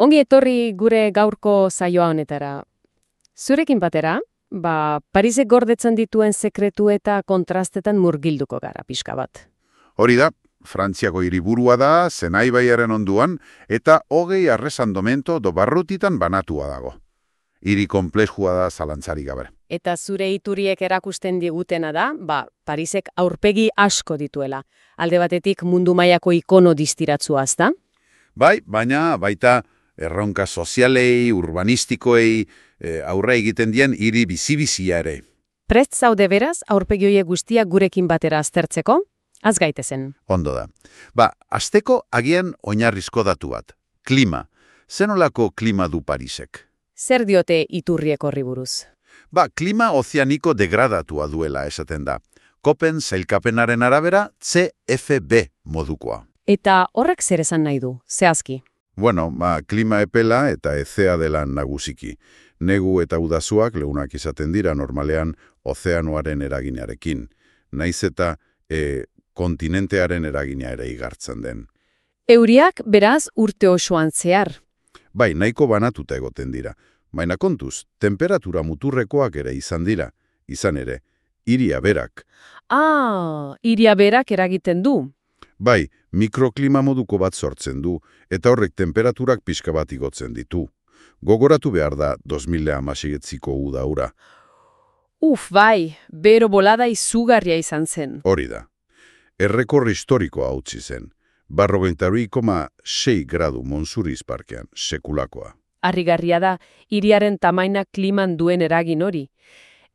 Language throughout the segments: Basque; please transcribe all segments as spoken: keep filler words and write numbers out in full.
Ongi etorri gure gaurko saioa honetara. Zurekin batera, ba, Parisek gordetzen dituen sekretu eta kontrastetan murgilduko gara pixka bat. Hori da, Frantziako hiriburua da, Zenai baiaren onduan, eta hogei arresandomento do barrutitan banatua dago. Hiri konplexua da zalantzarik gabe. Eta zure ituriek erakusten digutena da, ba, Parisek aurpegi asko dituela. Alde batetik mundu mailako ikono distiratzua, ezta? Bai, baina baita erronka sozialei, urbanistikoei, e, aurre egiten dien hiri bizi-bizia ere. Prest zaude beraz, aurpegi horiek guztiak gurekin batera aztertzeko? Az gaitezen. Ondo da. Ba, asteko agian oinarrizko datu bat. Klima. Zenolako klima du Parisek? Zer diote iturriek horri buruz? Ba, klima ozeaniko degradatua duela esaten da. Kopen sailkapenaren arabera C F B modukoa. Eta horrek zer esan nahi du, zehazki? Bueno, ba, klima epela eta ezea dela nagusiki. Negu eta udazuak leunak izaten dira normalean ozeanoaren eraginearekin. Naiz eta e, kontinentearen eragina ere igartzen den. Euriak beraz urte osoan zehar. Bai, nahiko banatuta egoten dira. Baina kontuz, temperatura muturrekoak ere izan dira. Izan ere, hiria berak. Ah, hiria berak eragiten du. Bai, mikroklima moduko bat sortzen du, eta horrek temperaturak pixka bat igotzen ditu. Gogoratu behar da dos mila hamaseieko uda ura. Uf, bai, bero bolada izugarria izan zen. Hori da. Errekor historikoa utzi zen. Berrogeita bi koma sei gradu Montsouris parkean, sekulakoa. Harrigarria da, hiriaren tamaina kliman duen eragin hori.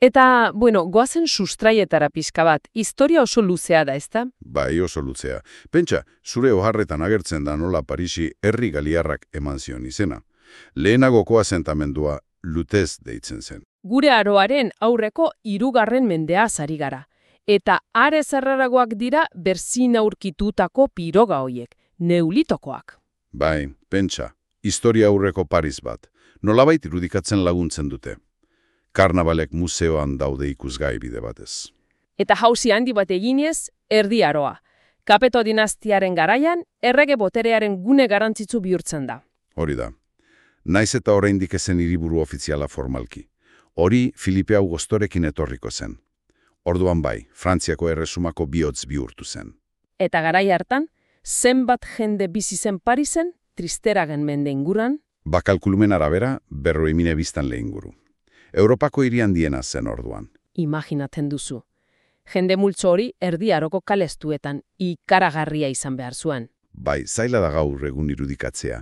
Eta, bueno, goazen sustraietara pixka bat, historia oso luzea da, ezta? Bai, oso luzea. Pentsa, zure oharretan agertzen da nola Parisi herri galiarrak eman zion izena. Lehenagoko asentamendua Lutez deitzen zen. Gure aroaren aurreko hirugarren mendea ari gara. Eta are zarraragoak dira berzin aurkitutako piroga hoiek, neolitokoak. Bai, pentsa, historia aurreko Paris bat. Nolabait irudikatzen laguntzen dute. Karnabalek museoan daude ikusgai bide batez. Eta jauzi handi bat eginez, erdi aroa. Kapeto dinastiaren garaian, errege boterearen gune garrantzitsu bihurtzen da. Hori da. Naiz eta oraindik ezen hiriburu ofiziala formalki. Hori Filipe Augustorekin etorriko zen. Orduan bai, Frantziako erresumako bihotz bihurtu zen. Eta garai hartan, zenbat jende bizi zen Parisen, Tristeragen mende inguran? Bakalkulumen arabera, berroi mila biztanle inguru. Europako hiri handiena zen orduan. Imaginatzen duzu. Jende multzo hori erdi aroko kalestuetan ikaragarria izan behar zuen. Bai, zaila da gaur egun irudikatzea.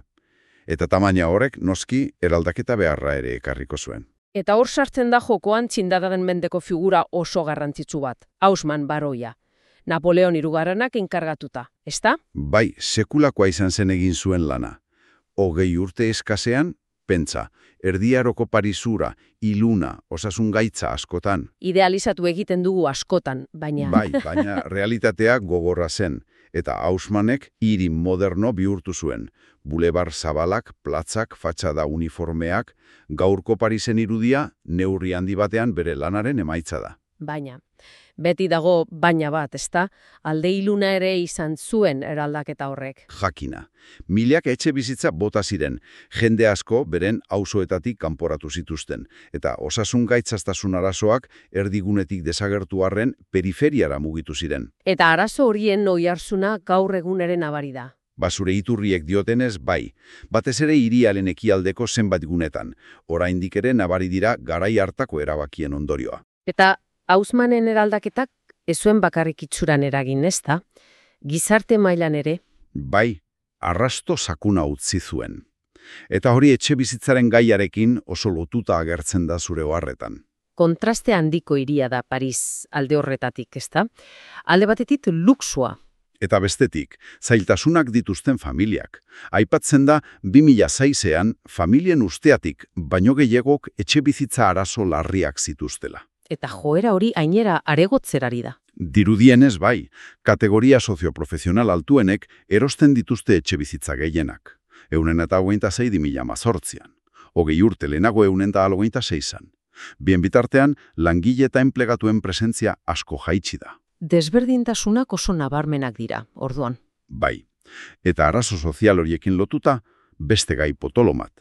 Eta tamaina horrek noski eraldaketa beharra ere ekarriko zuen. Eta hor sartzen da jokoan txindadagen mendeko figura oso garrantzitsu bat, Haussmann baroia. Napoleon hirugarrenak enkargatuta, ezta? Bai, sekulakoa izan zen egin zuen lana. Hogei urte eskasean, pentsa, erdiaroko Parisura, iluna, osasun gaitza askotan. Idealizatu egiten dugu askotan, baina... Bai, baina realitatea gogorra zen, eta Haussmannek hiri moderno bihurtu zuen. Bulebar zabalak, platzak, fatxada uniformeak, gaurko Parisen irudia, neurri handi batean bere lanaren emaitza da. Baina, beti dago baina bat, ezta? Alde iluna ere izan zuen eraldaketa horrek. Jakina. Milak etxe bizitza bota ziren, jende asko beren auzoetatik kanporatu zituzten, eta osasun gaitzaztasun arazoak erdigunetik desagertu arren periferiara mugitu ziren. Eta arazo horien oihartzuna gaur eguneren nabari da. Basure iturriek diotenez bai, batez ere hiriaren ekialdeko zenbait gunetan, oraindik ere nabari dira garai hartako erabakien ondorioa. Eta Haussmannen eraldaketak ez zuen bakarrik itxuran eragin, ezta? Gizarte mailan ere? Bai, arrasto sakuna utzi zuen. Eta hori etxe bizitzaren gaiarekin oso lotuta agertzen da zure oharretan. Kontraste handiko hiria da Paris alde horretatik, ezta? Alde batetik luxua. Eta bestetik, zailtasunak dituzten familiak. Aipatzen da, bi mila seian familien usteatik, baino gehiagok etxe bizitza arazo larriak zituztela. Eta joera hori ainera aregotzerari da. Dirudienez bai, kategoria sozioprofesional altuenek erosten dituzte etxe bizitza gehienak. Eunen eta hogeita sei mila mazortzian. Hogei urte lehenago eunen eta hogeita seizan. Bien bitartean, langile eta enplegatuen presentzia asko jaitsi da. Desberdintasunak oso nabarmenak dira, orduan. Bai, eta arazo sozial horiekin lotuta, beste gai potolomat,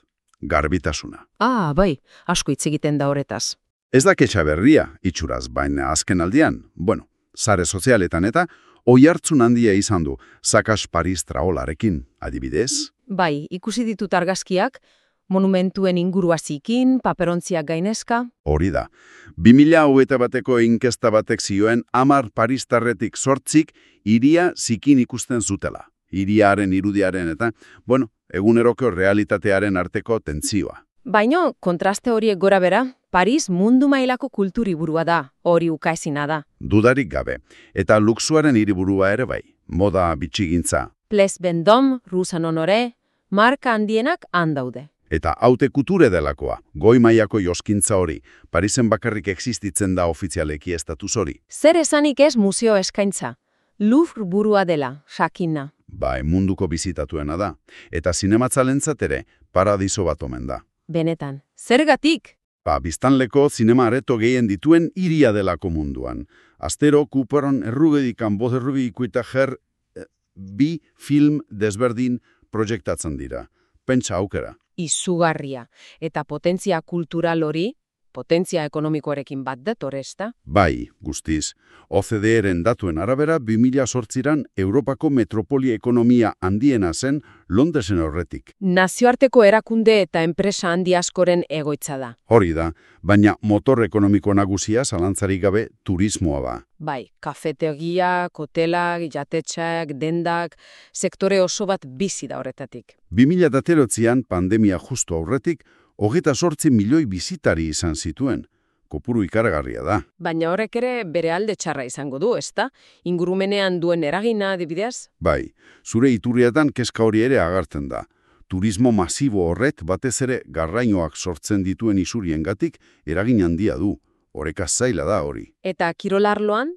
garbitasuna. Ah, bai, asko hitz egiten da horretaz. Ez da ketxa berria, itxuraz, baina azken aldian, bueno, sare sozialetan eta oihartzun handia izan du, Sakas Paris traolarekin, adibidez. Bai, ikusi ditut argazkiak, monumentuen ingurua zikin, paperontziak gainezka. Hori da. bi mila hogeita bateko inkesta batek zioen hamar paristarretik sortzik hiria zikin ikusten zutela. Hiriaren irudiaren eta, bueno, eguneroko realitatearen arteko tentzioa. Baina, kontraste horiek gora bera, Paris mundu mailako kulturiburua da, hori ukaezina da. Dudarik gabe. Eta luxuaren hiriburua ere bai, moda bitxigintza. Place Vendôme, Rue Saint-Honoré, marka handienak handaude. Eta haute kuture delakoa, goi mailako joskintza hori, Parisen bakarrik existitzen da ofizialeki estatuz hori. Zer esanik ez museo eskaintza. Louvre burua dela, sakina. Bai, munduko bizitatuena da. Eta zinematzalentzat ere, paradiso bat omen da. Benetan, zergatik? Ba, biztanleko zinema areto gehien dituen hiria delako munduan. Astero, Cooperon errugedikan boz errugi ikuita jer eh, bi film desberdin proiektatzen dira. Pentsa aukera. Izugarria. Eta potentzia kultural hori, potentzia ekonomikoarekin bat dator, ezta? Bai, guztiz. O C D E-ren datuen arabera, bi mila zortziran Europako metropoli ekonomia handiena zen Londresen horretik. Nazioarteko erakunde eta enpresa handi askoren egoitza da. Hori da, baina motor ekonomiko nagusia zalantzarik gabe turismoa ba. Bai, kafetegiak, hotelak, jatetxeak, dendak, sektore oso bat bizi da horretatik. bi mila zortzian pandemia justu aurretik, hogeita zortzi milioi bizitari izan zituen. Kopuru ikaragarria da. Baina horrek ere bere alde txarra izango du, ezta? Ingurumenean duen eragina, adibidez? Bai, zure iturrietan kezka hori ere agertzen da. Turismo masibo horret batez ere garrainoak sortzen dituen isuriengatik eragin handia du. Oreka zaila da hori. Eta kirolarloan?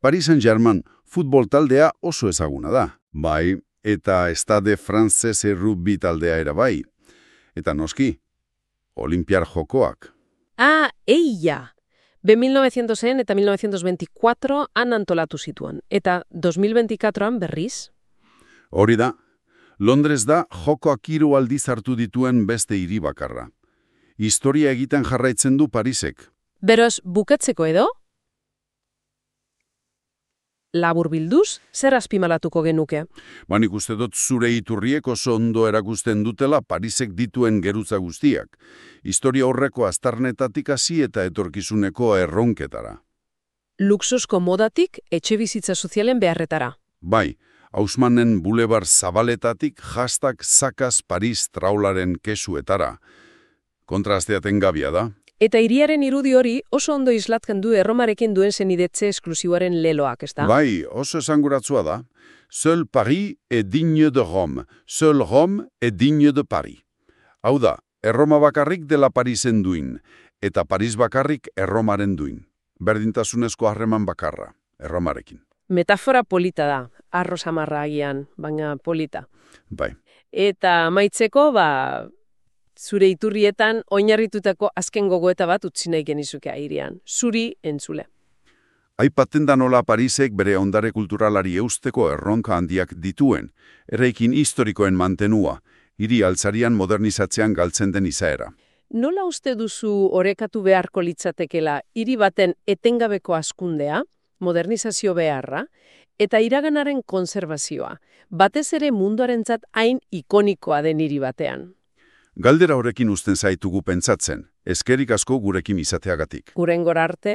Paris Saint-Germain futbol taldea oso ezaguna da. Bai, eta Stade Français rugby taldea era bai. Eta noski, Olimpiar Jokoak. Ah, eia! Be mil novecientosen eta mil novecientos veinticuatro han antolatu zituen. Eta dos mil veinticuatroan berriz? Hori da, Londres da jokoak hiru aldiz hartu dituen beste hiri bakarra. Historia egiten jarraitzen du Parisek. Beroz, bukatzeko edo? Labur bilduz, zer azpimalatuko genuke? Ba, nik uste dut zure iturriek oso ondo erakusten dutela Parisek dituen geruza guztiak. Historia horreko aztarnetatik hasi eta etorkizuneko erronketara. Luxusko modatik etxe bizitza sozialen beharretara. Bai, Haussmannen bulebar zabaletatik hashtag Sakas Paris traularen kesuetara. Kontrasteaten gabia da. Eta hiriaren irudi hori oso ondo islatken du Erromarekin duen zenidetze esklusiboaren leloak, ezta? Bai, oso esanguratsua da. Seul Paris est digne de Rome. Seul Rome est digne de Paris. Hau da, Erroma bakarrik dela Parisen duin, eta Paris bakarrik Erromaren duin. Berdintasunezko harreman bakarra, Erromarekin. Metafora polita da, arro samarra agian, baina polita. Bai. Eta amaitzeko, ba, zure iturrietan oinarritutako azken gogoeta bat utzi nahi genizuke hirian. Zuri entzule. Aipatzen da nola Parisek bere ondare kulturalari eusteko erronka handiak dituen, eraikin historikoen mantenua, hiri altzarian modernizatzean galtzen den izaera. Nola uste duzu orekatu beharko litzatekela hiri baten etengabeko hazkundea, modernizazio beharra, eta iraganaren konserbazioa, batez ere munduarentzat hain ikonikoa den hiri batean? Galdera horrekin uzten zaitugu pentsatzen, eskerik asko gurekin izateagatik. Hurrengora arte.